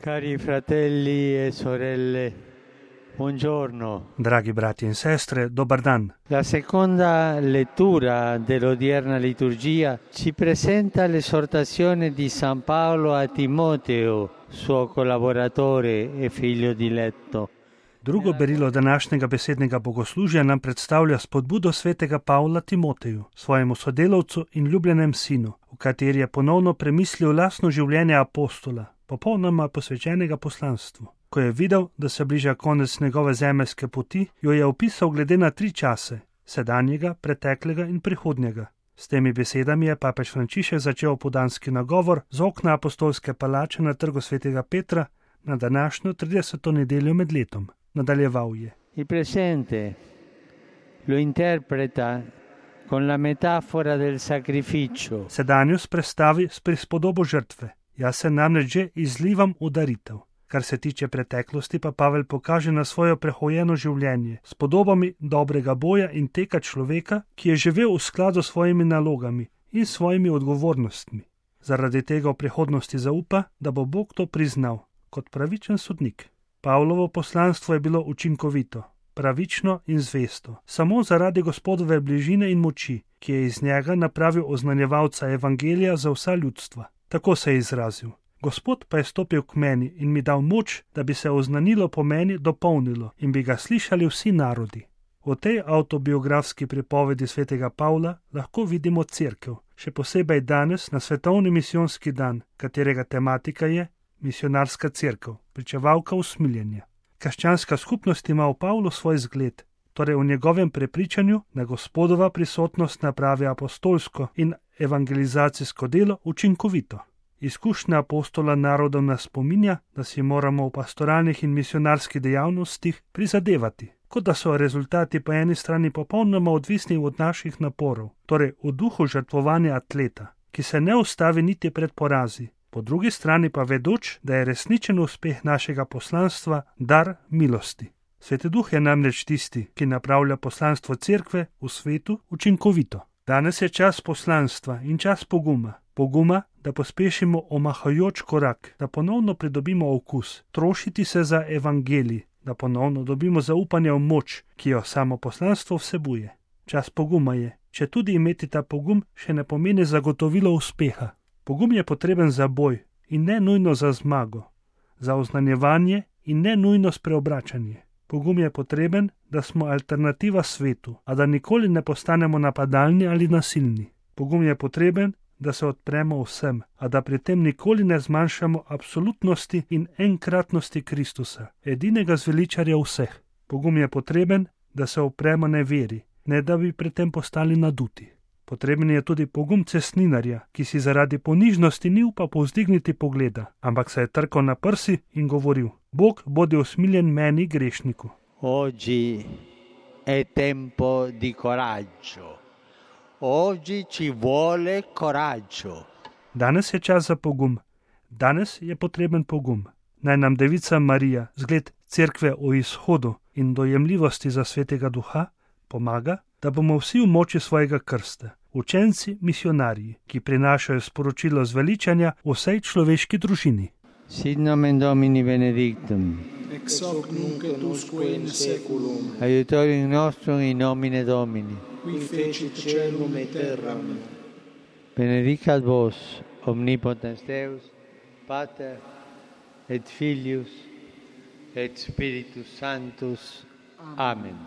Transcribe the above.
Cari fratelli e sorelle, buongiorno. Dragi brati in sestre, dobar dan. La seconda lettura dell'odierna liturgia ci presenta l'esortazione di San Paolo a Timoteo, suo collaboratore e figlio diletto. Drugo berilo današnjega besednega bogoslužja nam predstavlja spodbudo svetega Pavla Timoteju, svojemu sodelavcu in ljubljenem sinu, v kateri je ponovno premislil lastno življenje apostola, popolnoma posvečenega poslanstvu. Ko je videl, da se bliža konec njegove zemeljske poti, jo je opisal glede na 3 čase: sedanjega, preteklega in prihodnjega. S temi besedami je papež Frančišek začel opoldanski nagovor z okna apostolske palače na Trgu svetega Petra na današnjo 30. nedeljo med letom. Nadaljeval je: Il presente lo interpreta con la metafora del sacrificio. Sedanjost predstavi s prispodobo žrtve. Jaz se namreč že izlivam v daritev. Kar se tiče preteklosti, pa Pavel pokaže na svoje prehojeno življenje s podobami dobrega boja in teka človeka, ki je živel v skladu s svojimi nalogami in svojimi odgovornostmi. Zaradi tega v prihodnosti zaupa, da bo Bog to priznal kot pravičen sodnik. Pavlovo poslanstvo je bilo učinkovito, pravično in zvesto, samo zaradi Gospodove bližine in moči, ki je iz njega napravil oznanjevalca evangelija za vsa ljudstva. Tako se je izrazil: Gospod pa je stopil k meni in mi dal moč, da bi se oznanilo po meni dopolnilo in bi ga slišali vsi narodi. V tej avtobiografski pripovedi svetega Pavla lahko vidimo cerkev, še posebej danes na svetovni misijonski dan, katerega tematika je misionarska cerkev, pričevalka usmiljenja. Krščanska skupnost ima v Pavlu svoj zgled, torej v njegovem prepričanju, da Gospodova prisotnost napravi apostolsko in evangelizacijsko delo učinkovito. Izkušnja apostola narodov nas spominja, da si moramo v pastoralnih in misionarskih dejavnostih prizadevati, kot da so rezultati po eni strani popolnoma odvisni od naših naporov, torej v duhu žrtvovanja atleta, ki se ne ustavi niti pred porazi, po drugi strani pa vedoč, da je resničen uspeh našega poslanstva dar milosti. Sveti Duh je namreč tisti, ki napravlja poslanstvo cerkve v svetu učinkovito. Danes je čas poslanstva in čas poguma. Poguma, da pospešimo omahajoč korak, da ponovno pridobimo okus, trošiti se za evangelij, da ponovno dobimo zaupanje v moč, ki jo samo poslanstvo vsebuje. Čas poguma je, če tudi imeti ta pogum še ne pomeni zagotovilo uspeha. Pogum je potreben za boj in ne nujno za zmago, za oznanjevanje in ne nujno spreobračanje. Pogum je potreben, da smo alternativa svetu, a da nikoli ne postanemo napadalni ali nasilni. Pogum je potreben, da se odpremo vsem, a da pri tem nikoli ne zmanjšamo absolutnosti in enkratnosti Kristusa, edinega zveličarja vseh. Pogum je potreben, da se upremo neveri, ne da bi pri tem postali naduti. Potreben je tudi pogum cestninarja, ki si zaradi ponižnosti ni upal povzdigniti pogleda, ampak se je trkal na prsi in govoril: Bog bodi usmiljen meni, grešniku. Oggi è tempo di coraggio. Oggi ci vuole coraggio. Danes je čas za pogum. Danes je potreben pogum. Naj nam Devica Marija, zgled cerkve o izhodu in dojemljivosti za svetega Duha, pomaga, da bomo vsi v moči svojega krsta, učenci misionarji, ki prinašajo sporočilo zveličanja vsej človeški družini. Sit nomen Domini benedictum. Ex hoc nunc et usque in seculum. Aiutorium nostrum in nomine Domini. Qui fecit caelum et terram. Benedicat vos, omnipotens Deus, Pater et Filius et Spiritus Sanctus. Amen.